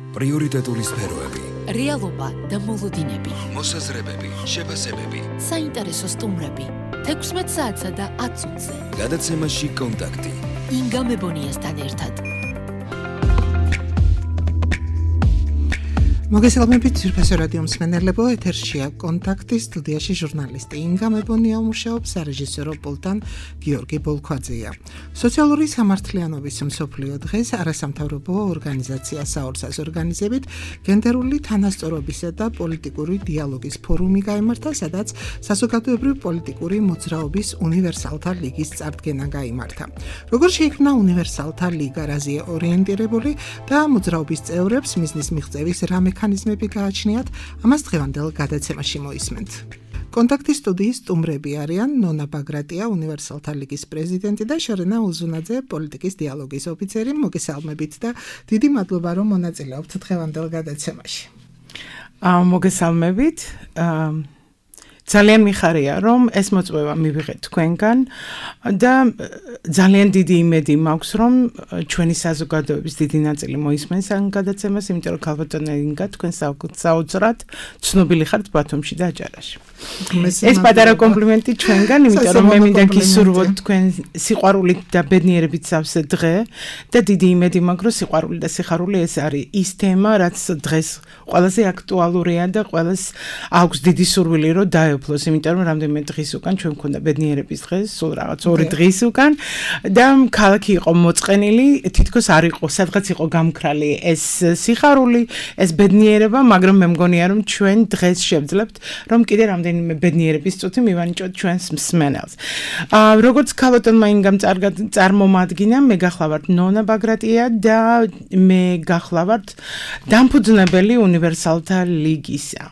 პრიორიტეტული სფეროები, რეალობა და მოლოდინები, მოსაზრებები, შეფასებები, საინტერესო სტუმრები, 16 საათსა და 10 წუთზე. გადაცემაში კონტაქტი. ინგა მებონიასთან ერთად. მოგესალმებით ძვირფასო რადიო მსმენელებო, ეთერშია კონტაქტი, სტუდიაში ჟურნალისტი ინგა მებონია მუშაობს, სარეჟისორო პულტთან გიორგი ბოლქვაძეა. სოციალური სამართლიანობის მსოფლიო დღეს არასამთავრობო ორგანიზაცია საორცას ორგანიზებით გენდერული თანასწორობისა და პოლიტიკური დიალოგის ფორუმი გაიმართა, სადაც საზოგადოებრივი პოლიტიკური მოძრაობის უნივერსალთა ლიგის წარდგენა გაიმართა. როგორ შეიქმნა უნივერსალთა ლიგა, რაზეა ორიენტირებული და მოძრაობის წევრებს მიზნის მიღწევის რა მექანიზმები გააჩნიათ, ამას დღევანდელ გადაცემაში მოისმენთ. კონტაქტის სტუდიის სტუმრები არიან ნონა ბაგრატია, უნივერსალთა ლიგის პრეზიდენტი და შორენა უზუნაძე, პოლიტიკის დიალოგის ოფიცერი. მოგესალმებით და დიდი მადლობა, რომ მონაწილეობთ დღევანდელ გადაცემაში. მოგესალმებით. ძალიან მიხარია, რომ ეს მოწვევა მივიღეთ თქვენგან და ძალიან დიდი იმედი მაქვს, რომ ჩვენი საზოგადოების დიდი ნაწილი მოისმენს ამ გადაცემას, იმიტომ რომ ქალბატონი ინგა თქვენ საოცრად ცნობილი ხართ ბათუმში და აჭარაში. ეს პატარა კომპლიმენტი ჩვენგან, იმიტომ რომ მე მინდა გისურვოთ თქვენ სიყვარულით და ბედნიერებით სავსე დღე და დიდი იმედი მაქვს, რომ სიყვარული და სიხარული ეს არის ის თემა, რაც დღეს ყველაზე აქტუალურია და ყველას აქვს დიდი სურვილი, რომ დაეუფლოს, იმიტომ რომ რამდენიმე დღის უკან ჩვენ მქონდა ბედნიერების დღე, სულ რაღაც 2 დღის უკან და ქალაქი იყო მოწყენილი, თითქოს არ იყო, სადღაც იყო გამქრალი ეს სიხარული, ეს ბედნიერება, მაგრამ მე მგონია რომ ჩვენ დღეს შევძლებთ, რომ კიდე რამდენიმე ბედნიერების წუთი მივანიჭოთ ჩვენს მსმენელს. როგორც ქალბატონმა ინგამ წარმომადგინა, მე გახლავართ ნონა ბაგრატია და მე გახლავართ დამფუძნებელი უნივერსალთა ლიგისა.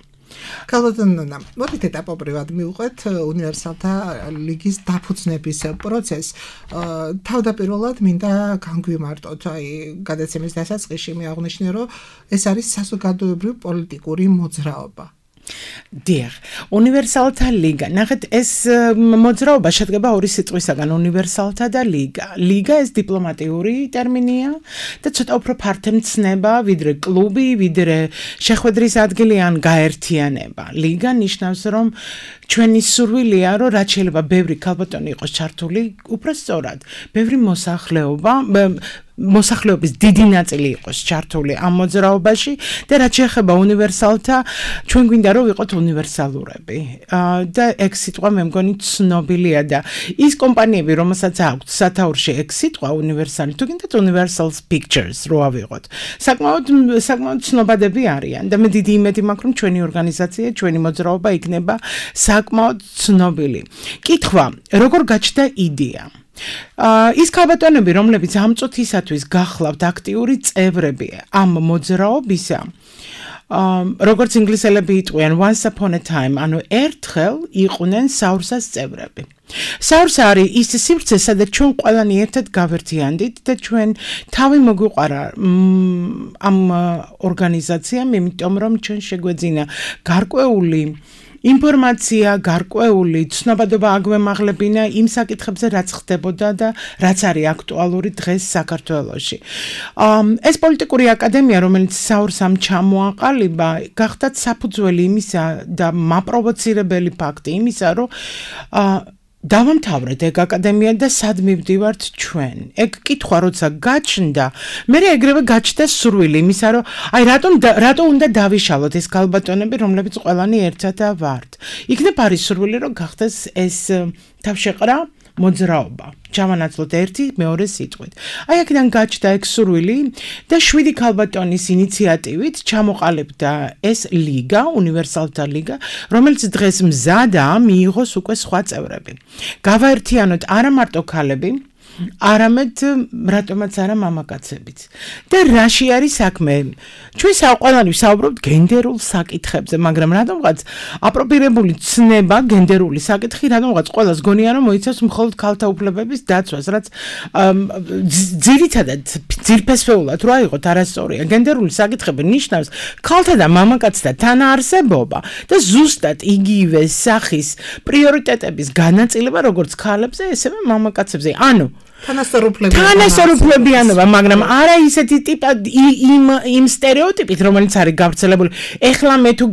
ქალბატონ ნონა, მოდით ეტაპობრივად მივყვეთ უნივერსალთა ლიგის დაფუძნების პროცესს. თავდაპირველად მინდა განგვიმარტოთ, გადაცემის დასაწყისში მე აღნიშნე, რომ ეს არის საზოგადოებრივი პოლიტიკური მოძრაობა. დიახ, უნივერსალთა ლიგა. ნახეთ, ეს მოძრაობა შედგება ორი სიტყვისაგან, უნივერსალთა და ლიგა. ლიგა ეს დიპლომატიური ტერმინია და ცოტა უფრო ფართემცნება, ვიდრე კლუბი, ვიდრე შეხვედრის ადგილი ან გაერთიანება. ლიგა ნიშნავს, რომ ჩვენი სურვილია, რომ რაც შეიძლება ბევრი ქალბატონი იყოს ჩართული, უფრო სწორად, ბევრი მოსახლეობის დიდი ნაწილი იყოს ჩართული ამ მოძრაობაში და რაც შეეხება უნივერსალთა, ჩვენ გვინდა რომ ვიყოთ უნივერსალურები. და ეგ სიტყვა მე მგონი ცნობილია და ის კომპანიები, რომელსაც აქვთ სათაურში ეგ სიტყვა უნივერსალი, თუ გინდათ Universal Pictures რო ავიღოთ. საკმაოდ ცნობადები არიან და მე დიდი იმედი მაქვს, რომ ჩვენი ორგანიზაცია, ჩვენი მოძრაობა იქნება საკმაოდ ცნობილი. კითხვა, როგორ გაჩნდა იდეა? ის ქალბატონები, რომლებიც ამ წუთისათვის გახლავთ აქტიური წევრები ამ მოძრაობისა, როგორც ინგლისელები იტყვიან once upon a time, ანუ ერთხელ იყვნენ საურსას წევრები. საურსა არის ის სივრცე, სადაც ჩვენ ყველანი ერთად გავერთიანდით და ჩვენ თავი მოგვიყარა ამ ორგანიზაციამ, იმიტომ რომ ჩვენ შეგვეძინა გარკვეული ინფორმაცია, გარკვეული ცნობადობა აგვემაღლებინა იმ საკითხებზე, რაც ხდებოდა და რაც არის აქტუალური დღეს საქართველოში. ეს პოლიტიკური აკადემია, რომელიც საურსამ ჩამოაყალიბა, გახდა საფუძველი იმისა და მაპროვოცირებელი ფაქტი იმისა, რომ დავამთავრეთ ეგ აკადემია და სად მივდივართ ჩვენ. ეგ კითხვა როცა გაჩნდა, მე ეგრევე გაჩნდა სურვილი იმისა, რომ რატო უნდა დავიშალოთ ეს ქალბატონები, რომლებიც ყველანი ერთად ვართ. იქნებ არის სურვილი, რომ გახდეს ეს თავშეყრა მოძრაობა. ჩავანაცვლოთ ერთი მეორე სიტყვით. აქედან გაჩნდა ეგ სურვილი და 7 ქალბატონის ინიციატივით ჩამოყალიბდა ეს ლიგა, უნივერსალთა ლიგა, რომელიც დღეს მზადაა მიიღოს უკვე სხვა წევრები. გავაერთიანოთ არა მარტო ქალები, არამედ რატომაც არა მამაკაცებიც. და რაში არის საქმე? ჩვენ ყველანი ვსაუბრობთ გენდერულ საკითხებზე, მაგრამ რატომღაც აპროპირებული ცნება გენდერული საკითხი რატომღაც ყველას გონია რომ მოიცავს მხოლოდ ქალთა უფლებების დაცვას, რაც ძირითადად ძირფესვეულად რო აიღოთ არასწორია. გენდერული საკითხები ნიშნავს ქალთა და მამაკაცთა თანაარსებობა და ზუსტად იგივე სახის პრიორიტეტების განაწილება როგორც ქალებზე, ესევე მამაკაცებზე. ანუ თანასწორუფლებიანობა, მაგრამ არა ისეთი ტიპად იმ სტერეოტიპით, რომელიც არის გავრცელებული. ეხლა მე თუ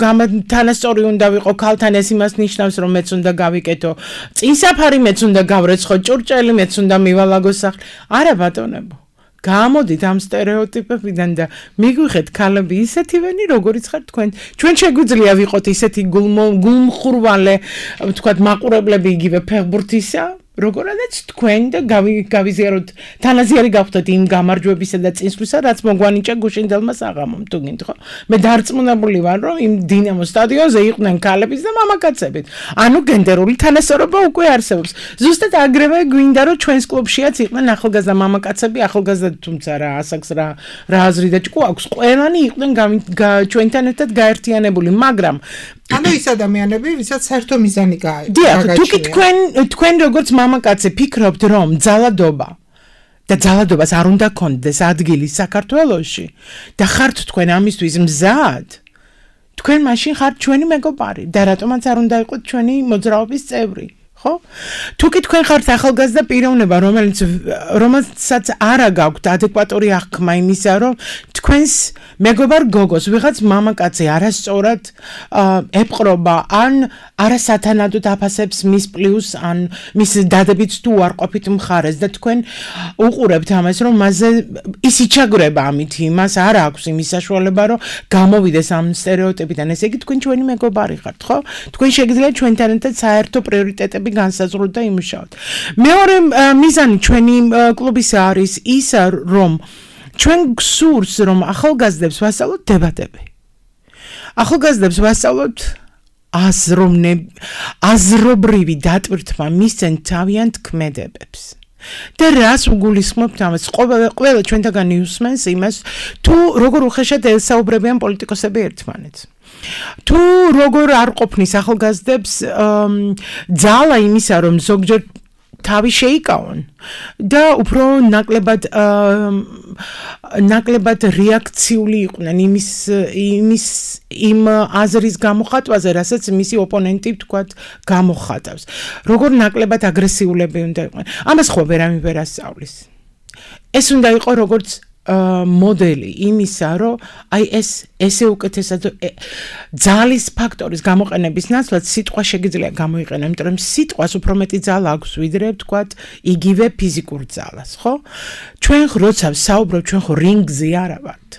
თანასწორი უნდა ვიყო ქალთან, ეს იმას ნიშნავს, რომ მეც უნდა გავიკეთო წინსაფარი, მეც უნდა გავრეცხო ჭურჭელი, მეც უნდა მივალაგო სახლი. არა ბატონებო. გამოდით ამ სტერეოტიპებიდან და მიგვიხეთ ქალები ისეთივენი, როგორიც ხართ თქვენ. ჩვენ შეგვიძლია ვიყოთ ისეთი გულმხურვალე, ვთქვათ, მაყურებლები იგივე ფეხბურთისა, როგორადაც თქვენ და გავიზიაროთ, თანაზიარი გავხდეთ იმ გამარჯვებისა და წინსვლისა, რაც მოგვანიჭა გუშინდელმა საღამომ, თუ გინდ ხო? მე დარწმუნებული ვარ, რომ იმ დინამო სტადიონზე იყვნენ ქალებიც და მამაკაცებიც. ანუ გენდერული თანასწორობა უკვე არსებობს. ზუსტად აგრევე გვინდა, რომ ჩვენს კლუბშიაც იყვნენ ახალგაზრდა მამაკაცები, ახალგაზრდა თუმცა რა ასაკს რა აზრი და ჭკუ აქვს. ყველანი იყვნენ ჩვენთან ერთად გაერთიანებული, მაგრამ ანუ ის ადამიანები, ვისაც საერთო მიზანი გააჩნია. დიახ, თუკი თქვენ როგორც მამაკაცი ფიქრობთ, რომ ძალადობა და ძალადობას არ უნდა გქონდეს ადგილი საქართველოში და ხართ თქვენ ამისთვის მზად, თქვენ მაშინ ხართ ჩვენი მეგობარი და რატომაც არ უნდა იყოთ ჩვენი მოძრაობის წევრი. ხო? თუკი თქვენ ხართ ახალგაზრდა პიროვნება, რომელსაც არა გაქვთ ადეკვატური აღქმა იმისა, რომ თქვენს მეგობარ გოგოს ვიღაც მამაკაცი არასწორად ეპყრობა ან არასათანადოდ აფასებს მის პლუს ან მის დადებით თუ უარყოფით მხარეს და თქვენ უყურებთ ამას, რომ მასზე ისი ჩაგრება ამით იმას არ აქვს იმის საშუალება, რომ გამოვიდეს ამ სტერეოტიპიდან. ესე იგი თქვენ ჩვენი მეგობარი ხართ, ხო? თქვენ შეგიძლიათ ჩვენთან ერთად საერთო პრიორიტეტები განსაზღვროთ და იმუშაოთ. მეორე მიზანი ჩვენი კლუბისა არის ის, რომ ჩვენ გსურს, რომ ახალგაზრდებს ვასწავლოთ დებატები. ახალგაზრდებს ვასწავლოთ აზრობრივი დატვირთვა მისცენ თავიანთ ქმედებებს. და რას უგულისხმობთ ამას? ყველა ჩვენთაგან იუსმენს იმას, თუ როგორ უხეშად ელსაუბრებიან პოლიტიკოსები ერთმანეთს. თუ როგორ არ ყოფნის ახალგაზრდებს ძალა იმისა, რომ ზოგჯერ თავი შეიკავონ და უფრო ნაკლებად რეაქციული იყვნენ იმ აზრის გამოხატვაზე, რასაც მისი ოპონენტი ვთქვათ გამოხატავს. როგორ ნაკლებად აგრესიულები უნდა იყვნენ. ამას ხო ვერავინ ვერ ასწავლის. ეს უნდა იყოს როგორც მოდელი იმისა, რომ აი ესე უკეთესად ძალის ფაქტორის გამოყენების ნაცვლად სიტყვა შეგიძლია გამოიყენო, იმიტომ რომ სიტყვას უფრო მეტი ძალა აქვს ვიდრე ვთქვათ იგივე ფიზიკურ ძალას, ხო? ჩვენ როცა საუბრობთ, ჩვენ ხო რინგზე არა ვართ.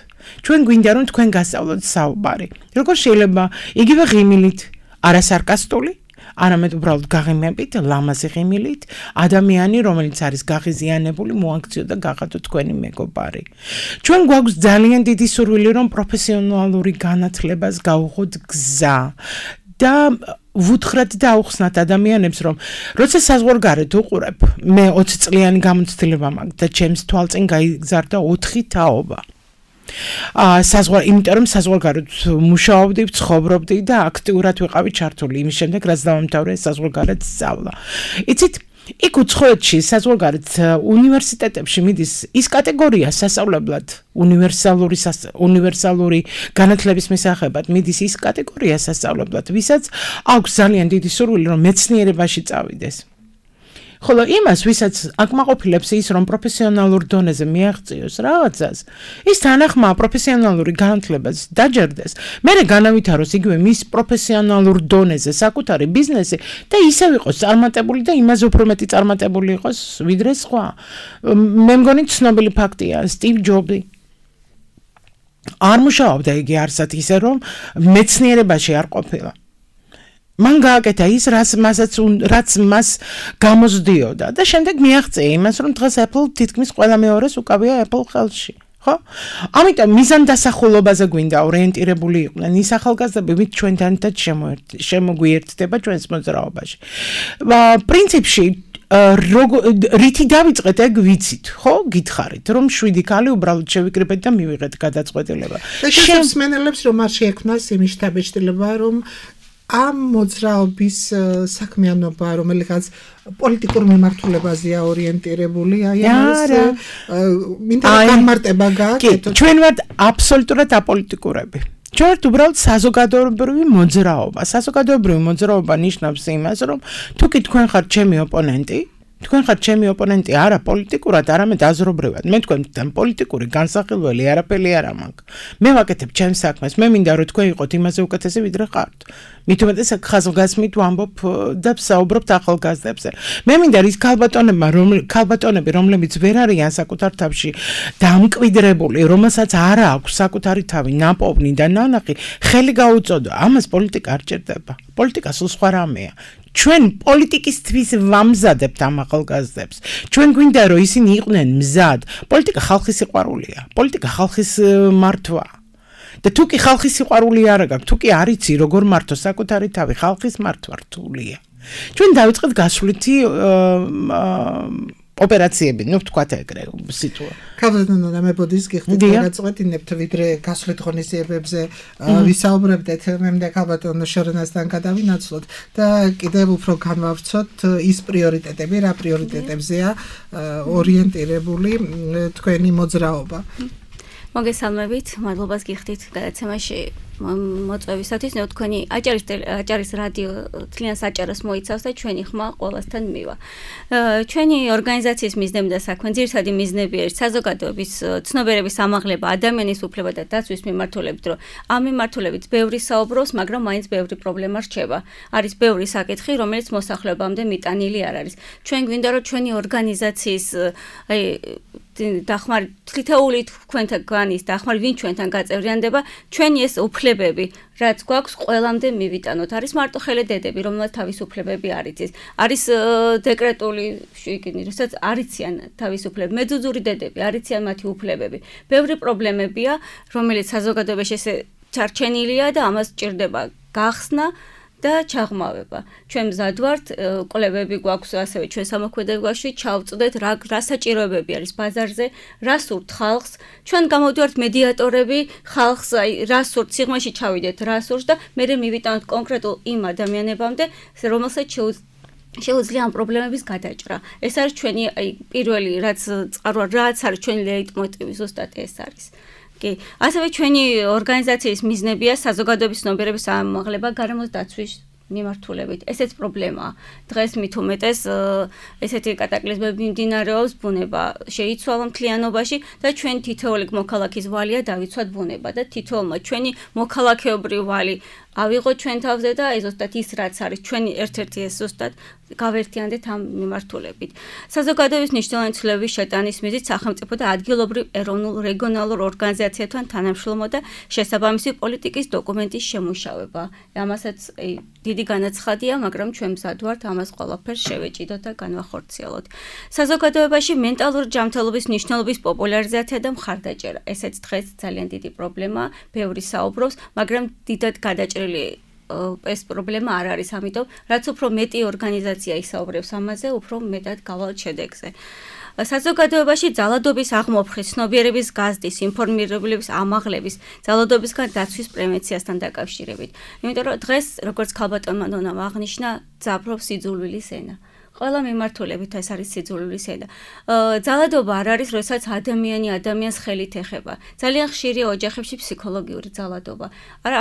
ჩვენ გვინდა რომ თქვენ გასწავლოთ საუბარი. როგორ შეიძლება იგივე ღიმილით, არასარკასტული არამედ უბრალოდ გაღიმებით, ლამაზი ღიმილით, ადამიანი, რომელიც არის გაღიზიანებული, მოაქციო და გახადო თქვენი მეგობარი. ჩვენ გვაქვს ძალიან დიდი სურვილი, რომ პროფესიონალური განათლებას გავუღოთ გზა და ვუთხრათ და აუხსნათ ადამიანებს, რომ როცა საზღვარგარეთ უყურებ, მე 20 წლიანი გამოცდილება მაქვს და ჩემს თვალწინ გაიგზავნა 4 თაობა. იმიტომ რომ საზღვარგარეთ მუშაობდი, ცხოვრობდი და აქტიურად ვიყავი ჩართული იმის შემდეგ, რაც დავამთავრე საზღვარგარეთ სწავლა. იცით, იქ უცხოეთში საზღვარგარეთ უნივერსიტეტებში მიდის ის კატეგორია სასწავლებლად, უნივერსალური განათლების მისაღებად მიდის ის კატეგორია სასწავლებლად, ვისაც აქვს ძალიან დიდი სურვილი, რომ მეცნიერებაში წავიდეს. ხოლო იმას, ვისაც აკმაყოფილებს ის, რომ პროფესიონალურ დონეზე მიაღწიოს რაღაცას, ის თანახმა პროფესიონალური განათლებას დაჯერდეს, მერე განავითაროს იგივე მის პროფესიონალურ დონეზე საკუთარი ბიზნესი და ისევ იყოს წარმატებული და იმაზე უფრო მეტი წარმატებული იყოს ვიდრე სხვა. მე მგონი ცნობილი ფაქტია, სტივ ჯობსი არ მუშაობდა იგი არსად ისე, რომ მეცნიერებაში არ ყოფილა. მან გააკეთა ის, რაც მას გამოსდიოდა და შემდეგ მიაღწია იმას, რომ დღეს Apple თითქმის ყველა მეორეს უკავია Apple ხელში, ხო? ამიტომ მიზანდასახულობაზე გვინდა ორიენტირებული იყვნენ ის ახალგაზრდები, ვინც ჩვენთან ერთად შემოგვიერთდება ჩვენს მოძრაობაში. პრინციპში რითი დავიწყეთ, ეგ ვიცით, ხო? გითხარით, რომ 7 ქალი უბრალოდ შევიკრიბეთ და მივიღეთ გადაწყვეტილება. შემსმენელებს რომ არ შეექმნას იმის შთაბეჭდილება, რომ ამ მოძრაობის საქმიანობა, რომელიღაც პოლიტიკურ მიმართულებაზეა ორიენტირებული, აი ამას მინდა გამარტება გააკეთოთ. ჩვენ ვართ აბსოლუტურად აპოლიტიკურები. ჩვენ ვართ უბრალოდ საზოგადოებრივი მოძრაობა. საზოგადოებრივი მოძრაობა ნიშნავს იმას, რომ თუკი თქვენ ხართ ჩემი ოპონენტი, თქვენ ხართ ჩემი ოპონენტი არა პოლიტიკურად, არამედ აზრობრივად. მე თქვენთან პოლიტიკური განსახილველი არაფერი არ მაქვს. მე ვაკეთებ ჩემს საქმეს. მე მინდა რომ თქვენ იყოთ იმაზე უკეთესი ვიდრე ხართ. მით უმეტეს ხაზგასმით ვამბობ და ვსაუბრობთ ახალგაზრდებზე. მე მინდა ის ქალბატონები, რომლებიც ვერ არიან საკუთარ თავში დამკვიდრებული, რომელსაც არ აქვს საკუთარი თავი, ნაპოვნი და ნანახი, ხელი გაუწოდო. ამას პოლიტიკა არ ჭირდება. პოლიტიკა სულ სხვა რამეა. ჩვენ პოლიტიკისთვის ვამზადებთ ამ ახალგაზრდებს. ჩვენ გვინდა რომ ისინი იყვნენ მზად. პოლიტიკა ხალხის სიყვარულია. პოლიტიკა ხალხის მართვა. და თუ კი ხალხის სიყვარული არ გაქვს, თუ კი არ იცი როგორ მართო საკუთარი თავი, ხალხის მართვა რთულია. ჩვენ დავიწყეთ გასვლითი ოპერაციები, ნუ ვთქვათ ეგრე სიტუაცია. ქალბატონო და მებოდის გიხდით გაწყვეტინებთ ვიდრე გასვლით ღონისძიებებზე ვისაუბრებდეთ, მე მინდა ქალბატონო შორენასთან გადავინაცვლოთ და კიდევ უფრო განვავრცოთ ის პრიორიტეტები, რა პრიორიტეტებზეა ორიენტირებული თქვენი მოძრაობა. მოგესალმებით, მადლობას გიხდით გადაცემაში მოწვევისათვის, თქვენი აჭარის რადიო თლიან საჭაროს მოიცავს და ჩვენი ხმა ყველასთან მივა. ჩვენი ორგანიზაციის მიზნები და საქმე ძირითადი მიზნები არის საზოგადოების ცნობიერების ამაღლება ადამიანის უფლება და დაცვის მიმართულებით, რომ ამ მიმართულებით ბევრი საუბრობს, მაგრამ მაინც ბევრი პრობლემა რჩება. არის ბევრი საკითხი, რომელიც მოსახლეობამდე მიტანილი არ არის. ჩვენ გვინდა რომ ჩვენი ორგანიზაციის დახმარებით თითოეული თქვენთან განის დახმარებით ვინ ჩვენთან გაწევრიანდება, ჩვენი ეს უფლებები, რაც გვაქვს, ყველამდე მივიტანოთ. არის მარტო ხელედედები, რომელთა თავისუფლებები არ იცის. არის დეკრეტული შიგნი, რასაც არ იციან თავისუფლები, მეძუძური დედები, არ იციან მათი უფლებები. ბევრი პრობლემებია, რომელიც საზოგადოებაში ესე ჩარჩენილია და ამას ჭირდება გახსნა და ჩაღმავება. ჩვენ მზად ვართ, კვლევები გვაქვს ასევე ჩვენ სამოქმედებაში, ჩავწვდეთ რა საჭიროებები არის ბაზარზე, რა სურთ ხალხს. ჩვენ გამოვდივართ მედიატორები, ხალხს რა სურთ, სიღრმეში ჩავიდეთ რა სურს და მე მივიტანოთ კონკრეტულ იმ ადამიანებამდე, რომელსაც შეუძლია ამ პრობლემების გადაჭრა. ეს არის ჩვენი პირველი რაც არის ჩვენი ლეიტმოტივი, ზუსტად ეს არის. კი, ასევე ჩვენი ორგანიზაციის მიზნებია საზოგადოების ცნობიერების ამაღლება გარემოს დაცვის მიმართულებით. ესეც პრობლემაა. დღეს მით უმეტეს ესეთი კატაკლიზმები მიმდინარეობს, ბუნება შეიცვალა მთლიანობაში და ჩვენ თითოეული მოქალაქის ვალია დავიცვათ ბუნება და თითოეულმა ჩვენი მოქალაქეობრივი ვალი ავიღოთ ჩვენ თავზე და ზუსტად ის რაც არის ჩვენი ერთ-ერთი ეს ზუსტად გავერთიანდეთ ამ მიმართულებით. საზოგადოების მნიშვნელოვანი ცვლილებების შეტანის მიზნით სახელმწიფო და ადგილობრივ ეროვნულ რეგიონალურ ორგანიზაციებთან თანამშრომლობა და შესაბამისი პოლიტიკის დოკუმენტის შემუშავება. ამასაც დიდი განაცხადია, მაგრამ ჩვენ მზად ვართ ამას ყველაფერს შევეჭიდოთ და განვახორციელოთ. საზოგადოებაში მენტალური ჯანმრთელობის მნიშვნელობის პოპულარიზაცია და მხარდაჭერა. ესეც დღეს ძალიან დიდი პრობლემაა, ბევრი საუბრობს, მაგრამ დიდად გადაჭრილი ეს პრობლემა არ არის, ამიტომ რაც უფრო მეტი ორგანიზაცია ისაუბრებს ამაზე, უფრო მეტად გავალთ შედეგზე. საზოგადოებაში ძალადობის აღმოფხვის, ცნობიერების გაზრდის, ინფორმირებლების ამაღლების, ძალადობისგან დაცვის პრევენციასთან დაკავშირებით. იმიტომ რომ დღეს, როგორც ქალბატონმა ნონამ აღნიშნა, ძაბრობს სიძულვილის ენა. ყველა მიმართულებით ეს არის სიძულვილის ენა. ძალადობა არ არის, როდესაც ადამიანი ადამიანს ხელით ეხება. ძალიან ხშირია ოჯახებში ფსიქოლოგიური ძალადობა.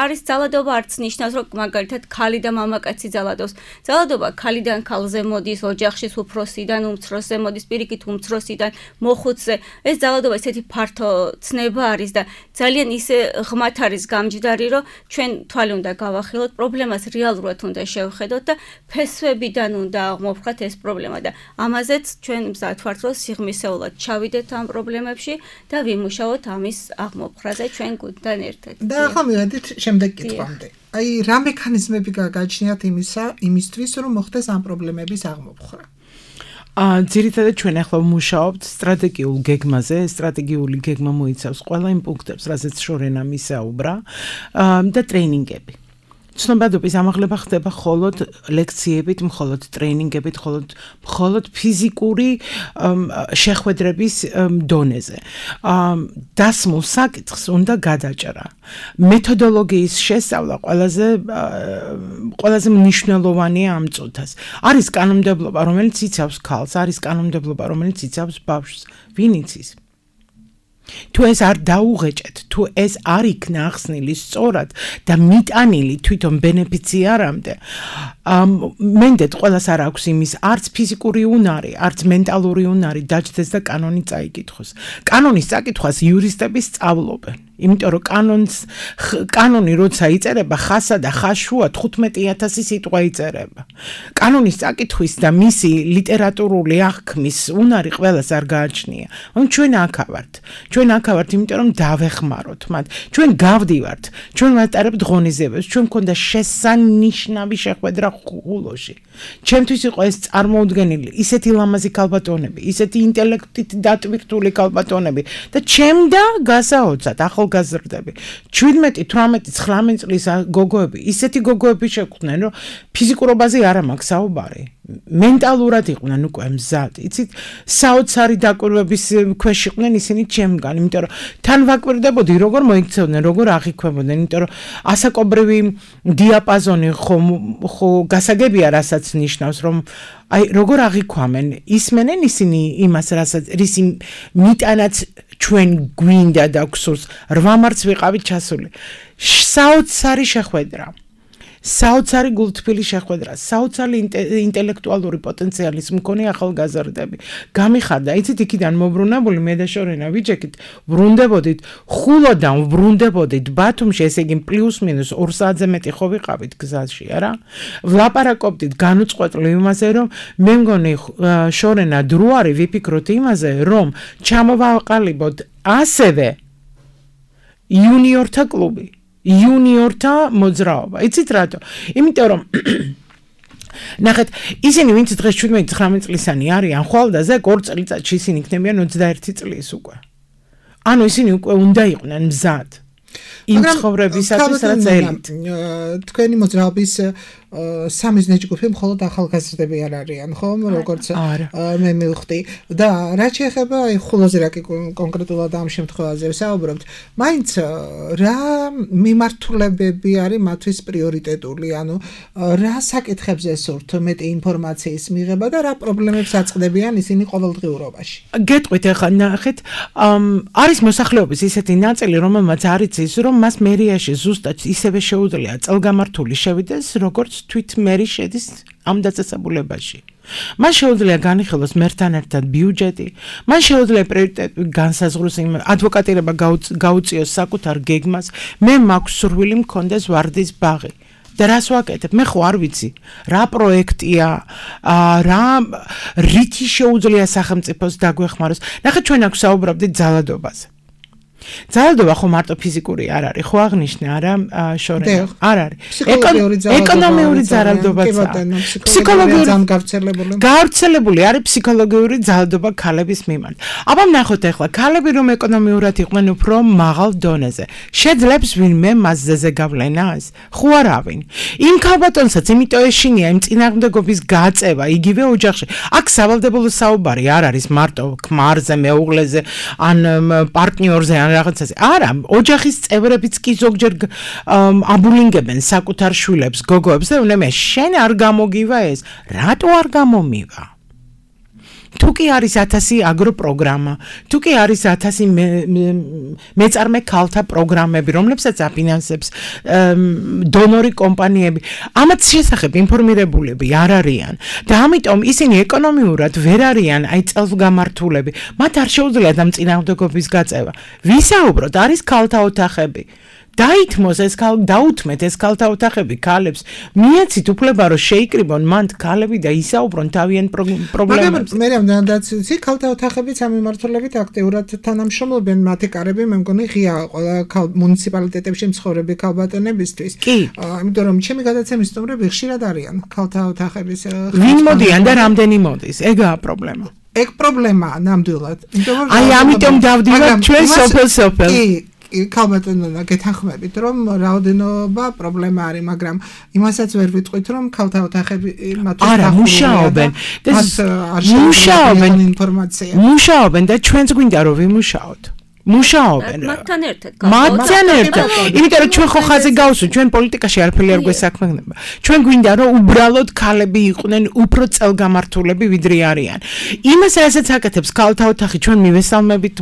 არის ძალადობა არც ნიშნავს, რომ მაგალითად ქალი და მამაკაცი ძალადობს. ძალადობა ქალიდან ქალზე მოდის, ოჯახში უფროსიდან უმცროსზე მოდის, პირიქით უმცროსიდან მოხუცზე. ეს ძალადობა ესეთი ფართო ცნება არის და ძალიან ისე ღმათ არის გამჯდარი, რომ ჩვენ თვალი უნდა გავახილოთ, პრობლემას რეალურად უნდა შევხედოთ და ფესვებიდან უნდა აღმოფხვრათ ეს პრობლემა და ამაზეც ჩვენ მზად ვართ, რომ სიღრმისეულად ჩავიდეთ ამ პრობლემებში და ვიმუშაოთ ამის აღმოფხვრაზე ჩვენ გუნდთან ერთად. და ახლა მივედით შემდეგ კითხვამდე. რა მექანიზმები გაგაჩნიათ იმისთვის, რომ მოხდეს ამ პრობლემების აღმოფხვრა? ძირითადად ჩვენ ახლა ვმუშაობთ სტრატეგიულ გეგმაზე. სტრატეგიული გეგმა მოიცავს ყველა იმ პუნქტებს, რაზეც შორენა მისაუბრა და ტრეინინგები. ცნობადობის ამაღლება ხდება მხოლოდ ლექციებით, მხოლოდ ტრეინინგებით, მხოლოდ ფიზიკური შეხვედრების დონეზე. დასმულ საკითხს უნდა გადაჭრა. მეთოდოლოგიის შესწავლა ყველაზე მნიშვნელოვანია ამ წუთას. არის კანონმდებლობა, რომელიც იცავს ქალს, არის კანონმდებლობა, რომელიც იცავს ბავშვს. ვინ იცის? თუ ეს არ დაუღეჭეთ, თუ ეს არ იქნა ახსნილი სწორად და მიტანილი თვითონ ბენეფიციარამდე, მენდეთ ყველას არ აქვს იმის არც ფიზიკური უნარი, არც მენტალური უნარი დაჯდეს და კანონი წაიკითხოს. კანონის წაკითხვას იურისტები სწავლობენ. იმიტომ რომ კანონი როცა იწერება ხასა და ხაშუა 15000 სიტყვა იწერება. კანონის წაკითხვის და მისი ლიტერატურული აღქმის უნარი ყველას არ გააჩნია. ჩვენ აქ ვართ. ჩვენ აქ ვართ, იმიტომ რომ დავეხმაროთ მათ. ჩვენ გავდივართ, ჩვენ ვატარებთ ღონისძიებებს, ჩვენ მქონდა შესანიშნავი შეხვედრა ხულოში. ჩემთვის იყო ეს წარმოუდგენელი, ისეთი ლამაზი ქალბატონები, ისეთი ინტელექტით დატვირთული ქალბატონები და ჩემდა გასაოცრად ახალგაზრდები. 17-18-19 წლის გოგოები, ისეთი გოგოები შეგვხვდნენ, რომ ფიზიკურობაზე არ მაქვს საუბარი. მენტალურად იყვნენ უკვე მზად. იცით, საოცარი დაკვირვების ქვეშ იყვნენ ისინი ჩემგან, იმიტომ რომ თან ვაკვირდებოდი, როგორ მოიქცევდნენ, როგორ აღიქვებოდნენ, იმიტომ რომ ასაკობრივი დიაპაზონი ხო გასაგებია, რასაც ნიშნავს, რომ აი როგორ აღიქვამენ, ისმენენ ისინი იმას, რასაც რისი მიტანაც ჩვენ გვინდა და გვსურს 8 მარტს ვიყავით ჩასული. საოცარი შეხვედრა. საოცარი გულთბილი შეხვედრა, საოცარი ინტელექტუალური პოტენციალის მქონე ახალგაზრდები. გამიხარდა, იცით, იქიდან მოbrunებული მე და შორენა ვიჯექით, ვრუნდებოდით, ხულოდან ვრუნდებოდით ბათუმში, ესე იგი პლუს-მინუს 2 საათზე მეტი ხო ვიყავით გზაში, არა? ვლაპარაკობდით განუწყვეტლივ იმაზე, რომ მე მგონი შორენა დრო არის ვიფიქროთ იმაზე, რომ ჩამოვაყალიბოთ ასევე იუნიორთა კლუბი. იუნიორთა მოძრაობა. იცით რატო? იმიტომ რომ ნახეთ, ისინი ვინც დღეს 17-19 წლისანი არიან ხვალდაზე, 2 წელიწადში ისინი იქნებიან 21 წლის უკვე. ანუ ისინი უკვე უნდა იყვნენ მზად. იმ ცხოვრებისათვის, რაც ელით. თქვენი მოძრაობის სამიზნე ჯგუფი მხოლოდ ახალგაზრდები არ არიან, ხო? როგორც მე მივხვდი. და რაც შეეხება აი ხულოზე რა კონკრეტულად ამ შემთხვევაზე ვსაუბრობთ, მაინც რა მიმართულებები არის მათთვის პრიორიტეტული, ანუ რა საკითხებზე სურთ მეტი ინფორმაციის მიღება და რა პრობლემებს აწყდებიან ისინი ყოველდღიურობაში. გეტყვით ახლა ნახეთ, არის მოსახლეობის ისეთი ნაწილი, რომელმაც არ იცის, რომ მას მერიაში ზუსტად ისევე შეუძლია წელგამართული შევიდეს, როგორც თვით მერი შედის ამ დაწესებულებაში. მას შეუძლია განიხილოს მერთან ერთად ბიუჯეტი, მას შეუძლია პრიორიტეტი განსაზღვროს იმ ადვოკატირება გაუწიოს საკუთარ გეგმას, მე მაქვს სურვილი მქონდეს ვარდის ბაღი. და რას ვაკეთებ? მე ხო არ ვიცი, რა პროექტია, რა რითი შეუძლია სახელმწიფოს დაგვეხმაროს. ნახეთ, ჩვენ აქ საუბრობდით ძალადობაზე. ძალადობა ხო მარტო ფიზიკური არ არის, ხო აღნიშნე, არა შორენა? არ არის. ეკონომიური ძალადობაც არის. ფსიქოლოგიური გავრცელებული არის ფსიქოლოგიური ძალადობა ქალების მიმართ. აბა ნახოთ ახლა, ქალები რომ ეკონომიურად იყვნენ უფრო მაღალ დონეზე, შეძლებს ვინმე მასზე გავლენას? ხო არავინ. იმ ქალბატონსაც იმიტომ ეშინია იმ წინააღმდეგობის გაწევა იგივე ოჯახში. აქ სავალდებულო საუბარი არ არის მარტო ქმარზე, მეუღლეზე, ან პარტნიორზე, ან რაღაცაზე. არა, ოჯახის წევრებიც კი ზოგჯერ აბულინგებენ საკუთარ შვილებს, გოგოებს და მე შენ არ გამოგივა ეს. რატო არ გამომივა? თუ კი არის 1000 აგროპროგრამა, თუ კი არის 1000 მეწარმე ქალთა პროგრამები, რომლებსაც აფინანსებს დონორი კომპანიები, ამათ შესახებ ინფორმირებულები არ არიან და ამიტომ ისინი ეკონომიურად ვერ არიან აი წელსგამართულები. მათ არ შეუძლიათ ამ წინააღმდეგობის გაწევა. ვისაუბროთ, არის ქალთა ოთახები. დაითმოს ეს დაუთმეთ ეს ქალთა ოთახები ქალებს, მიეცით უფლება რომ შეიკრიბონ მანდ ქალები და ისაუბრონ თავიანთ პრობლემებზე. მე რამდენადაც ვიცი, ქალთა ოთახებიც ამ მიმართულებით აქტიურად თანამშრომლობენ მათი კარები, მე მგონი ღია ყველა მუნიციპალიტეტებში მცხოვრები ქალბატონებისთვის. იმიტომ რომ ჩემი გადაცემის სტუმრები ხშირად არიან ქალთა ოთახების. ვინ მოდიან და რამდენი მოდის? ეგაა პრობლემა. ეგ პრობლემაა ნამდვილად. აი ამიტომ დავდივართ ჩვენ სოფელ. ქალბატონებმა გეთანხმებით, რომ რაოდენობა პრობლემა არის, მაგრამ იმასაც ვერ ვიტყვით, რომ ქალთა ოთახები მათთვის არა მუშაობენ. მუშაობენ და ჩვენც გვინდა რომ ვიმუშაოთ. მუშაობენ. მათთან ერთად. იმიტომ რომ ჩვენ ხო ხაზი გავსვით, ჩვენ პოლიტიკაში არაფერი არ გვესაქმებინება. ჩვენ გვინდა რომ უბრალოდ ქალები იყვნენ უფრო წელგამართულები ვიდრე არიან. იმას რასაც აკეთებს ქალთა ოთახი, ჩვენ მივესალმებით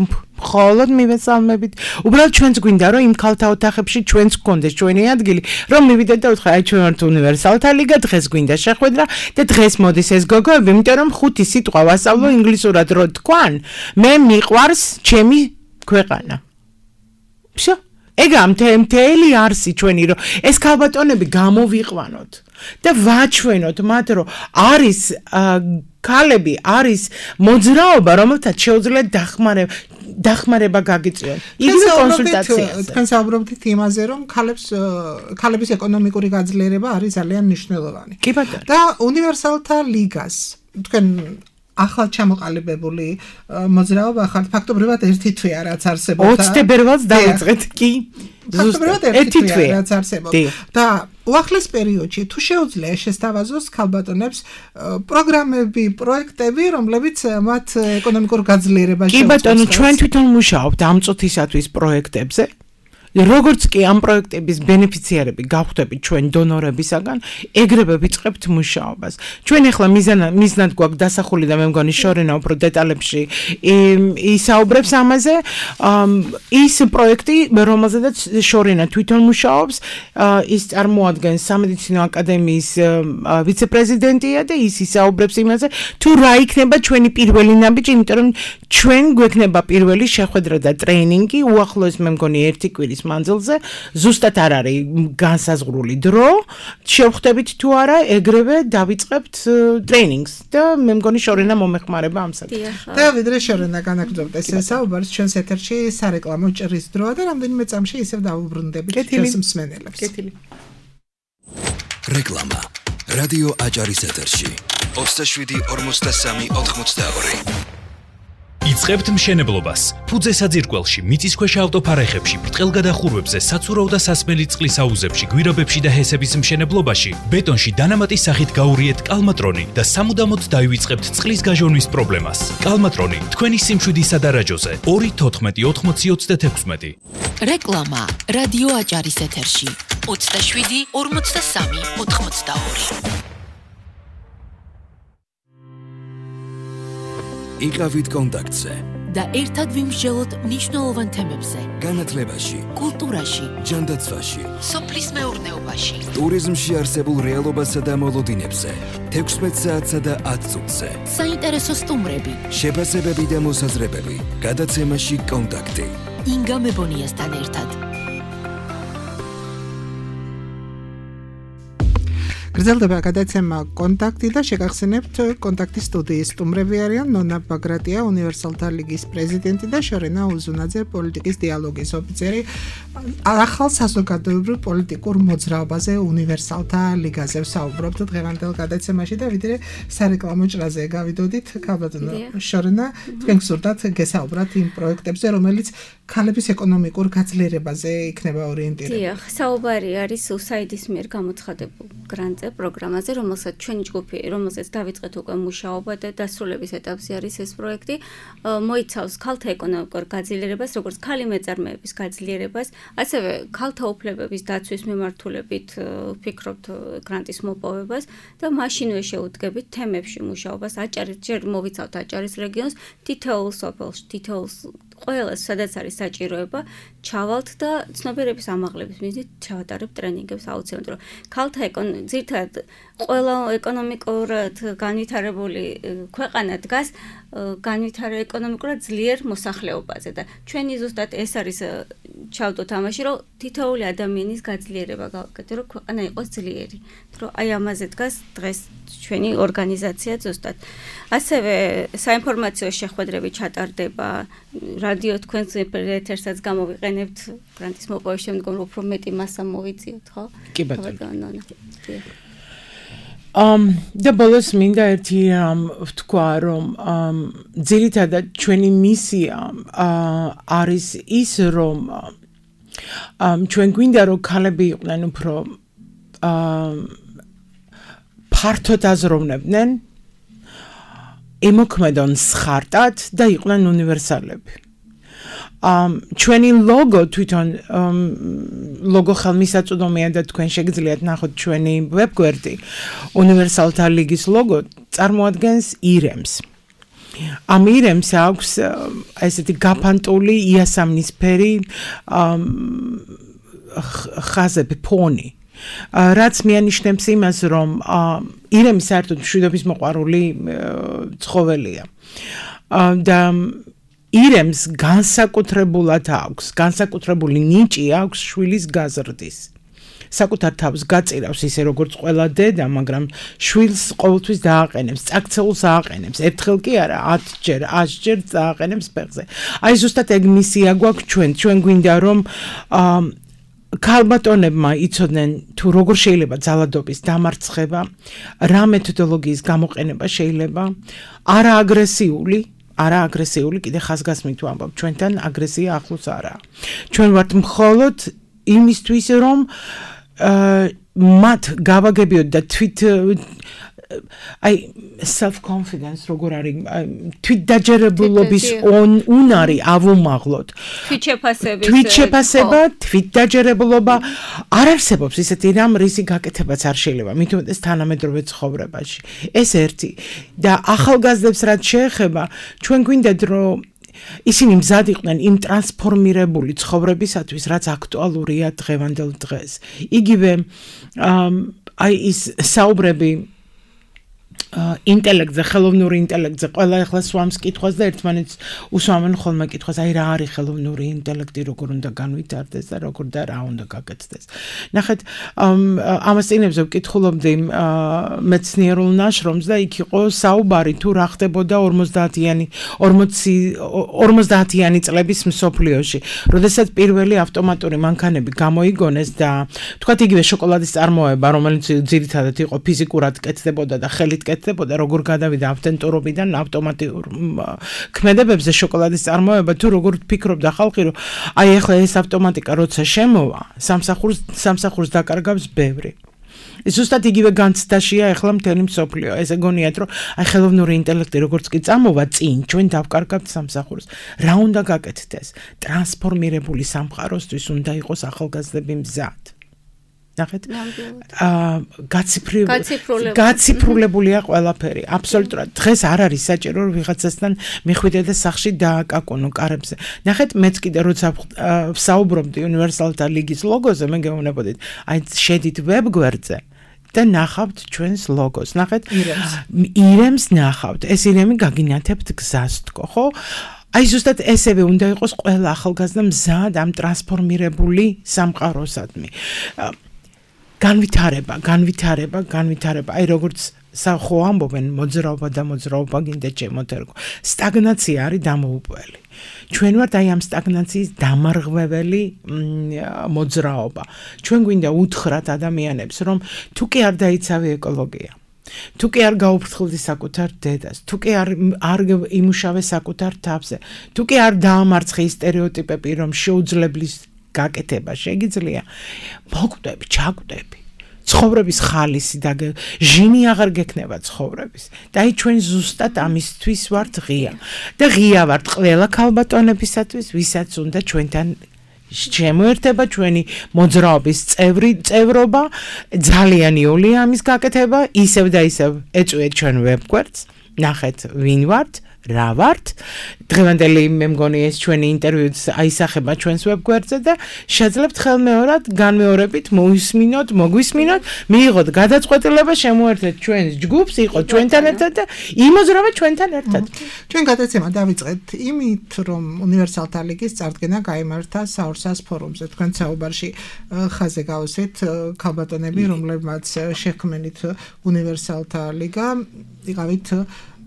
მხოლოდ მივესალმებით. უბრალოდ ჩვენც გვინდა რომ იმ ქალთა ოთახებში ჩვენც გქონდეს ჩვენი ადგილი, რომ მივიდეთ და ვთქვა, აი ჩვენ ვართ უნივერსალთა ლიგა, დღეს გვინდა შეხვედრა და დღეს მოდის ეს გოგოები, იმიტომ რომ 5 სიტყვა ვასწავლო ინგლისურად რო თქვან, მე მიყვარს ჩემი ქვეყანა. Всё. ეგა მთელი არსი ჩვენი რომ ეს ქალბატონები გამოვიყვანოთ და ვაჩვენოთ მათ რომ არის ქალები არის მოძრაობა რომელთაც შეუძლიათ დახმარება გაგიწიონ იგივე კონსულტაციას თქვენ საუბრობთ იმაზე რომ ქალების ეკონომიკური გაძლიერება არის ძალიან მნიშვნელოვანი კი ბატონო და უნივერსალთა ლიგას თქვენ ახალ ჩამოყალიბებული მოძრაობა ხართ ფაქტობრივად ერთი თვეა რაც არსებობდა 20 თებერვალს დავიწყეთ კი ფაქტობრივად ერთი თვეა რაც არსებობდა და უახლეს პერიოდში თუ შეუძლია შესთავაზოს ქალბატონებს პროგრამები, პროექტები, რომლებიც მათ ეკონომიკურ გაძლიერებაში კი ბატონო ჩვენ თვითონ მუშაობთ ამ წუთისათვის პროექტებზე როგორც კი ამ პროექტების ბენეფიციარები გავხდებით ჩვენ დონორებისაგან, ეგრევე ვიწყებთ მუშაობას. ჩვენ ახლა მიზნად გვაქვს დასახული და მე მგონი შორენა უფრო დეტალებში ისაუბრებს ამაზე. ის პროექტი, რომელზედაც შორენა თვითონ მუშაობს, ის წარმოადგენს სამედიცინო აკადემიის ვიცე-პრეზიდენტია და ის ისაუბრებს იმაზე, თუ რა იქნება ჩვენი პირველი ნაბიჯი, იმიტომ რომ ჩვენ გვექნება პირველი შეხვედრა და ტრეინინგი, უახლოეს მე მგონი 1 კვირის მანძილზე ზუსტად არ არის განსაზღვრული დრო შევხვდებით თუ არა ეგრევე დავიწყებთ ტრეინინგს და მე მგონი შორენა მომეხმარება ამ საკითხში და ვიდრე შორენა განაგრძობთ ეს საუბარს ჩვენს ეთერში სარეკლამო ჭრის დროა და რამდენიმე წამში ისევ დავუბრუნდებით ჩვენს მსმენელებს რეკლამა რადიო აჭარის ეთერში 27 იწყებთ მშენებლობას. ფუძე საძირკველში, მიწისქვეშა ავტოფარეხებში, ბრტყელგადახურვებზე, საცურაო და სასმელი წყლის აუზებში, გვირაბებში და ჰესების მშენებლობაში, ბეტონში დანამატის სახით გაურიეთ კალმატრონი და სამუდამოდ დაივიწყებთ წყლის გაჟონვის პრობლემას. კალმატრონი თქვენი სიმშვიდისა და რაჯოზე 2-14-80-36. რეკლამა რადიო აჭარის ეთერში 27-43-82. იყავით კონტაქტზე და ერთად ვიმსჯელოთ მნიშვნელოვან თემებზე. განათლებაში, კულტურაში, ჯანდაცვაში, სოფლის მეურნეობაში, ტურიზმში არსებულ რეალობასა და მოლოდინებზე, 16 საათსა და 10 წუთზე. საინტერესო სტუმრები, შეფასებები და მოსაზრებები, გადაცემაში კონტაქტი. ინგა მებონიასთან ერთად. გრძელდება გადაცემა კონტაქტი და შეგახსენებთ კონტაქტის სტუდიის სტუმრები არიან ნონა ბაგრატია უნივერსალთა ლიგის პრეზიდენტი და შორენა უზუნაძე პოლიტიკის დიალოგის ოფიცერი ახალ საზოგადოებრივ პოლიტიკურ მოძრაობაზე უნივერსალთა ლიგაზე ვსაუბრობთ დღევანდელ გადაცემაში და ვიდრე სარეკლამო ჭრაზე გავიდოდით ქალბატონო შორენა თქვენ გსურდათ გესაუბრათ იმ პროექტებზე რომელიც ქალების ეკონომიკურ გაძლიერებაზე იქნება ორიენტირებული. დიახ, საუბარი არის USAID-ის მიერ გამოცხადებულ გრანტზე, პროგრამაზე, რომელსაც ჩვენი ჯგუფი, რომელსაც დავიწყეთ უკვე მუშაობა და დასრულების ეტაპზე არის ეს პროექტი, მოიცავს ქალთა ეკონომიკურ გაძლიერებას, როგორც ქალი მეწარმეების გაძლიერებას, ასევე ქალთა უფლებების დაცვის მიმართულებით ვფიქრობთ გრანტის მოპოვებას და მაშინვე შეუდგებით თემებში მუშაობას, ჯერ მოვიცავთ აჭარის რეგიონს, თითოეულ სოფელში, თითოეულ ყველას სადაც არის საჭიროება ჩავალთ და ცნობიერების ამაღლების მიზნით ჩავატარებთ ტრენინგებს აუცილებლად რომ ქალთა ძირთად ყველა ეკონომიკურად განვითარებული ქვეყანა დგას ეკონომიკურად ძლიერ მოსახლეობაზე და ჩვენი ზუსტად ეს არის ჩავდოთ ამაში რომ თითოეული ადამიანის გაძლიერება გავაკეთოთ რომ ქვეყანა იყოს ძლიერი რომ აი ამაზე დგას დღეს ჩვენი ორგანიზაცია ზუსტად ასევე საინფორმაციო შეხვედრები ჩატარდება რადიო თქვენს ეთერსაც გამოვიყენებთ გრანტის მოპოვების შემდგომ უფრო მეტი მასა მოვიწიოთ ხო? კი ბატონო. და ბოლოს მინდა ერთი ვთქვა რომ ძირითადად ჩვენი მისია არის ის რომ ჩვენ გვინდა რომ ქალები იყვნენ უფრო ფართოდ აზროვნებდნენ ემოქმედონ სხარტად და იყვნენ უნივერსალები. ჩვენი ლოგო თვითონ ლოგო ხელმისაწვდომია და თქვენ შეგიძლიათ ნახოთ ჩვენი ვებგვერდი უნივერსალთა ლიგის ლოგო წარმოადგენს ირემს. ამ ირემს აქვს ესეთი გაფანტული იასამნისფერი ხაზები ფონი რაც მიანიშნებს იმას რომ ირემი საერთოდ მშვიდობის მოყვარული ცხოველია და ირემს განსაკუთრებულად აქვს განსაკუთრებული ნიჭი აქვს შვილის გაზრდის საკუთარ თავს გაწირავს ისე როგორც ყველა დედა, მაგრამ შვილს ყოველთვის დააყენებს, წაქცეულს ააყენებს. ერთხელ კი არა, 10ჯერ, 100ჯერ დააყენებს ფეხზე. აი ზუსტად ეგ მისია გვაქვს ჩვენ გვინდა რომ ქალბატონებმა იცოდნენ თუ როგორ შეიძლება ძალადობის დამარცხება, რა მეთოდოლოგიის გამოყენება შეიძლება, არა აგრესიული, კიდე ხაზგასმით ვამბობ, ჩვენთან აგრესია ახლოს არაა. ჩვენ ვართ მხოლოდ იმისთვის რომ მათ გავაგებიოთ და აი self confidence როგორ არის თვითდაჯერებულობის უნარი ავუმაღლოთ თვითშეფასება თვითდაჯერებულობა არ არსებობს ისეთი რამ რისი გაკეთებაც არ შეიძლება მით უმეტეს თანამედროვე ცხოვრებაში ეს ერთი და ახალგაზრდებს რაც შეეხება ჩვენ გვინდათ რომ ისინი მზად იყვნენ იმ ტრანსფორმირებული ცხოვრებისათვის, რაც აქტუალურია დღევანდელ დღეს. იგივე აი ის საუბრები ინტელექტზე, ხელოვნური ინტელექტზე, ყველა ახლა სვამს კითხვას და ერთმანეთს უსვამენ ხოლმე კითხვას, აი რა არის ხელოვნური ინტელექტი, როგორ უნდა განვითარდეს და როგორ და რა უნდა გაკეთდეს. ნახეთ, ამას წინებზე ვკითხულობდი მეცნიერულ ნაშრომს და იქ იყო საუბარი თუ რა ხდებოდა 50-იანი წლების მსოფლიოში, როდესაც პირველი ავტომატური მანქანები გამოიგონეს და თქვათ იგივე შოკოლადის წარმოება, რომელიც ძირითადად იყო ფიზიკურად კეთდებოდა და ხელით კეთდებოდა, როგორ გადავიდა ავტენტურობიდან ავტომატურ ქმედებებზე შოკოლადის წარმოება, თუ როგორ ფიქრობდა ხალხი, რომ აი ახლა ეს ავტომატიკა როცა შემოვა, სამსახურს დაკარგავს ბევრი. ზუსტად იგივე განცდაშია ახლა მთელი მსოფლიო. ესე გონიათ, რომ აი ხელოვნური ინტელექტი როგორც კი წამოვა წინ, ჩვენ დავკარგავთ სამსახურს. რა უნდა გაკეთდეს? ტრანსფორმირებული სამყაროსთვის უნდა იყოს ახალგაზრდები მზად. ნახეთ გაციფრულებულია ყველაფერი აბსოლუტურად დღეს არ არის საჭირო რომ ვიღაცასთან მიხვიდე და სახში დააკაკუნო კარებზე ნახეთ მეც კიდე როცა ვსაუბრობდი უნივერსალთა ლიგის ლოგოზე მე გეუბნებოდით აი შედით ვებგვერდზე და ნახავთ ჩვენს ლოგოს ნახეთ ირემს ნახავთ ეს ირემი გაგინათებთ გზას თქო ხო აი ზუსტად ესევე უნდა იყოს ყველა ახალგაზრდა მზად ამ ტრანსფორმირებული სამყაროსადმი განვითარება, აი როგორც ხო ამბობენ მოძრაობა გინდა ჩემოთერგო. სტაგნაცია არის დამოუპველი. ჩვენ ვართ აი ამ სტაგნაციის დამარღვეველი მოძრაობა. ჩვენ გვინდა უთხრათ ადამიანებს, რომ თუ კი არ დაიცავი ეკოლოგია, თუ კი არ გაუფრთხილდი საკუთარ დედას, თუ კი არ იმუშავე საკუთარ თავზე, თუ კი არ დაამარცხე სტერეოტიპები, რომ შეუძლებლის გაკეთება შეგიძლია მოკვდები, ჩაკვდები ცხოვრების ხალისი და ჟინი აღარ გექნება ცხოვრების და აი ჩვენ ზუსტად ამისთვის ვართ ღია და ღია ვართ ყველა ქალბატონებისათვის ვისაც უნდა ჩვენთან შემოერთება ჩვენი მოძრაობის წევრობა ძალიან იოლია ამის გაკეთება ისევ და ისევ ეწვიეთ ჩვენ ვებგვერდს ნახეთ ვინ ვართ რა ვართ დღევანდელი მე მგონი ეს ჩვენი ინტერვიუც აისახება ჩვენს ვებგვერდზე და შეძლებთ ხელმეორად განმეორებით მოგვისმინოთ მიიღოთ გადაწყვეტილება შემოერთეთ ჩვენს ჯგუფს იყოთ ჩვენთან ერთად და იმოზრავეთ ჩვენთან ერთად ჩვენ გადაცემა დავიწყეთ იმით რომ უნივერსალთა ლიგის წარდგენა გაიმართა საურსას ფორუმზე თქვენ საუბარში ხაზე გავუსვით ქალბატონები რომლებმაც შექმნით უნივერსალთა ლიგა იყავით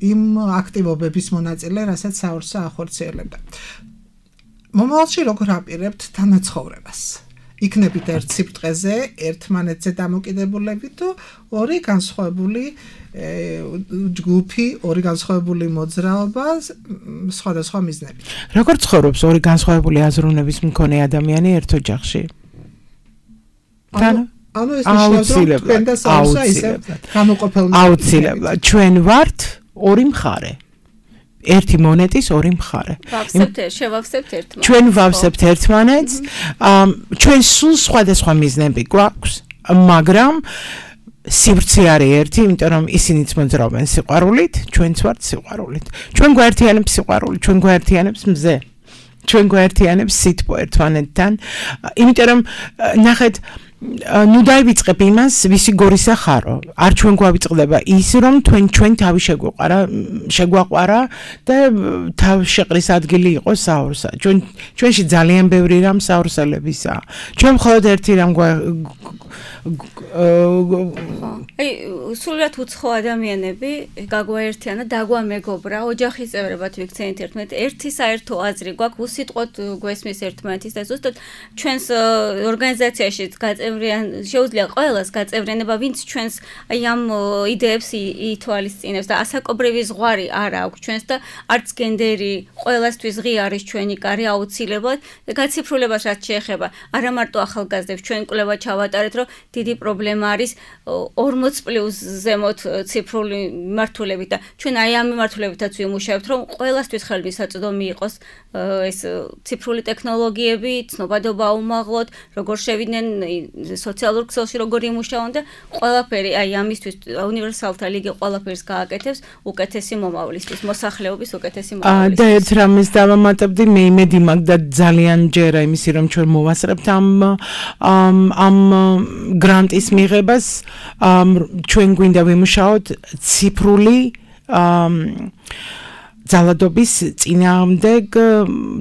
იმ აქტივობების მონაწილე, რასაც საურსა ახორციელებდა. მომავალში როგორ აპირებთ თანაცხოვრებას? იქნებით ერთ სიბრტყეზე, ერთმანეთზე დამოკიდებულები თუ ორი განსხვავებული ჯგუფი, ორი განსხვავებული მოძრაობა სხვადასხვა მიზნებით. როგორ ცხოვრობს ორი განსხვავებული აზროვნების მქონე ადამიანი ერთ ოჯახში? ანუ ეს ნიშნავს, რომ თქვენ და საურსა ისე გამოყოფილნი. აუცილებლად, ჩვენ ვართ ორი მხარე. ერთი მონეტის ორი მხარე. შევავსებთ ერთმანეთს. ჩვენ ვავსებთ ერთმანეთს. ჩვენ სულ სხვადასხვა მიზნები გვაქვს, მაგრამ სივრცე არის ერთი, იმიტომ რომ ისინიც მოძრაობენ სიყვარულით, ჩვენც ვართ სიყვარულით. ჩვენ გვაერთიანებს სიყვარული, ჩვენ გვაერთიანებს მზე. ჩვენ გვაერთიანებს სითბო ერთმანეთთან. იმიტომ რომ ნახეთ ნუ დაივიწყებ იმას, ვისი გორისა ხარო. არ ჩვენ გვავიწყდება ის, რომ ჩვენ თავი შეგვაყვარა და თავ შეყრის ადგილი იყოს საორსა. ჩვენში ძალიან ბევრი რამ საორსელებისაა. ჩვენ მხოლოდ ერთი რამ აი სულად უცხო ადამიანები გაგვაერთიანა, დაგვამეგობრა, ოჯახის წევრებად ვიქცენით ერთმანეთ. ერთი საერთო აზრი გვაქვს, უსიტყვოდ გვესმის ერთმანეთის და ზუსტად ჩვენს ორგანიზაციაში შეუძლია ყველას გაწევრიანება, ვინც ჩვენს აი ამ იდეებს ითვალისწინებს და ასაკობრივი ზღვარი არ აქვს ჩვენს და არც გენდერი ყველასთვის ღია არის ჩვენი კარი აუცილებლად და გაციფრულებას რაც შეეხება არა მარტო ახალგაზრდებს ჩვენ კვლევა ჩავატარეთ რომ დიდი პრობლემა არის 40+ ზემოთ ციფრული მიმართულებით და ჩვენ აი ამ მიმართულებითაც ვიმუშავებთ რომ ყველასთვის ხელმისაწვდომი იყოს ეს ციფრული ტექნოლოგიები, ცნობადობა აუმაღლოთ, როგორ შევიდნენ სოციალურ ქსელში როგორ იმუშავონ და ყველაფერი აი ამისთვის უნივერსალთა ლიგი ყველაფერს გააკეთებს უკეთესი მომავლისთვის, მოსახლეობის უკეთესი მომავლისთვის. და ერთ რამეს დავამატებდი, მე იმედი მაქვს და ძალიან ჯერა იმისი რომ ჩვენ მოვასწრებთ ამ გრანტის მიღებას, ჩვენ გვინდა ვიმუშაოთ ციფრული ძალადობის წინააღმდეგ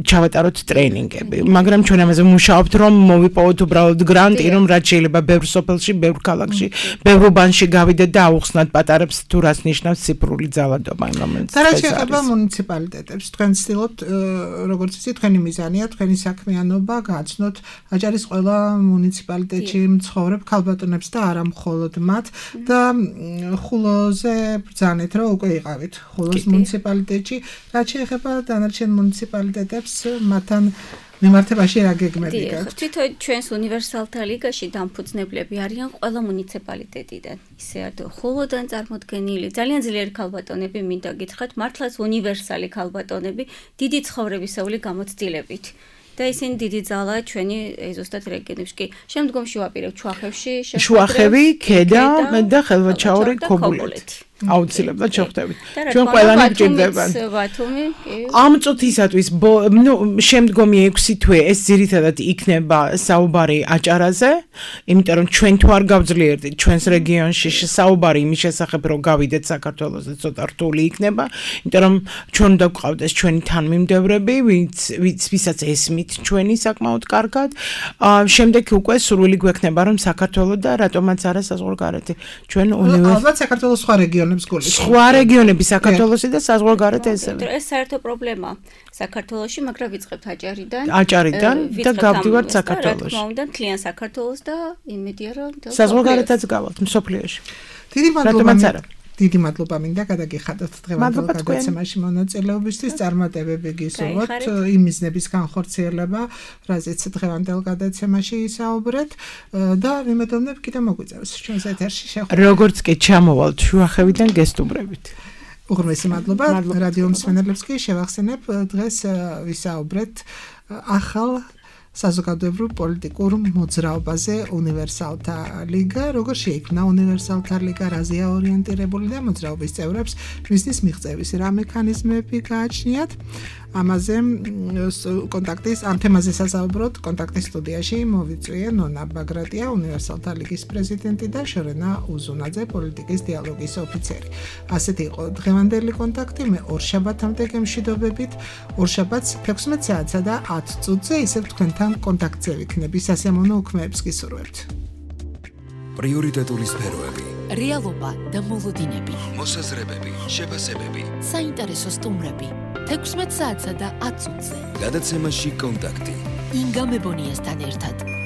ჩავატაროთ ტრენინგები, მაგრამ ჩვენ ამაზე ვმუშაობთ, რომ მოვიპოვოთ უბრალოდ გრანტი, რომ რაც შეიძლება ბევრ სოფელში, ბევრ ქალაქში, ბევრ უბანში გავიდეთ და აუხსნათ პატარებს თუ რას ნიშნავს ციფრული ძალადობა, რომელიც და რაც შეეხება მუნიციპალიტეტებს, თქვენ ცდილობთ, როგორც იცით, თქვენი მიზანია, თქვენი საქმიანობა გააცნოთ აჭარის ყველა მუნიციპალიტეტში მცხოვრებ ქალბატონებს და არა მხოლოდ მათ და ხულოზე ბრძანეთ, რომ უკვე იყავით ხულოს მუნიციპალიტეტში. რაც შეეხება დანარჩენ მუნიციპალიტეტებს, მათთან მიმართებაში რა გეგმები გაქვთ? თვითონ ჩვენს უნივერსალთა ლიგაში დამფუძნებლები არიან ყველა მუნიციპალიტეტიდან. ისე ხულოდან წარმოდგენილი, ძალიან ძლიერი ქალბატონები მინდა გითხრათ, მართლაც უნივერსალი ქალბატონები, დიდი ცხოვრებისეული გამოცდილებით. და ისინი დიდი ძალაა ჩვენი ზუსტად რეგიონებში. კი, შემდგომში ვაპირებ ჩუახევში, შუახევი, ქედა და ხელვაჩაური, ქობულეთი. აუცილებლად შევხვდებით. ჩვენ ყველანი გჭირდებათ. ამ წუთისათვის, შემდგომი 6 თვე ეს ძირითადად იქნება საუბარი აჭარაზე, იმიტომ რომ ჩვენ თუ არ გავძლიერდით ჩვენს რეგიონში საუბარი იმის შესახებ, რომ გავიდეთ საქართველოსზე ცოტა რთული იქნება, იმიტომ რომ ჩვენ უნდა გვყავდეს ჩვენი თანმიმდევრები, ვისაც ესმით ჩვენი საკმაოდ კარგად. შემდეგ უკვე სურვილი გვექნება, რომ საქართველოს და რატომაც არა საზღვარგარეთი. ჩვენ ალბათ საქართველოს სხვა სხვა რეგიონები საქართველოსი და საზღვარგარეთ ესევე. ეს საერთო პრობლემაა საქართველოში, მაგრამ ვიწყებთ აჭარიდან და გავდივართ საქართველოში. რა თქმა უნდა, მთლიან საქართველოს და იმედია რომ საზღვარგარეთაც გავალთ მსოფლიოში. დიდი მადლობა მინდა გადაგიხადოთ დღევანდელ გადაცემაში მონაწილეობისთვის, წარმატებები გისურვოთ იმ მიზნების განხორციელება, რაზეც დღევანდელ გადაცემაში ისაუბრეთ და ვიმედოვნებ კიდევ მოგვიწევს ჩვენს ეთერში შეხვედრა. როგორც კი ჩამოვალთ შუახევიდან გესტუმრებით. უღრმესი მადლობა რადიო მსმენელებს კი შევახსენებ დღეს ვისაუბრეთ ახალ საზოგადოებრივ პოლიტიკურ მოძრაობაზე უნივერსალთა ლიგა, როგორ შეიქმნა უნივერსალთა ლიგა, რაზეა ორიენტირებული და მოძრაობის წევრებს მისთვის მიღწევის რა მექანიზმები გააჩნიათ. ამაზე კონტაქტის ამ თემაზე სასაუბროთ კონტაქტის სტუდიაში მოვიწვიე ნონა ბაგრატია, უნივერსალთა ლიგის პრეზიდენტი და შორენა უზუნაძე, პოლიტიკის დიალოგის ოფიცერი. ასეთი იყო დღევანდელი კონტაქტი, მე ორშაბათამდე გემშვიდობებით, ორშაბათს 16 საათსა და 10 წუთზე ისევ თქვენთან კონტაქტზე ვიქნები, სასიამოვნო უქმეებს გისურვებთ. პრიორიტეტული სფეროები, რეალობა და მოლოდინები, მოსაზრებები, შეფასებები, საინტერესო სტუმრები 16 საათსა და 10 წუთზე. გადაცემაში კონტაქტი. ინგა მებონიასთან ერთად.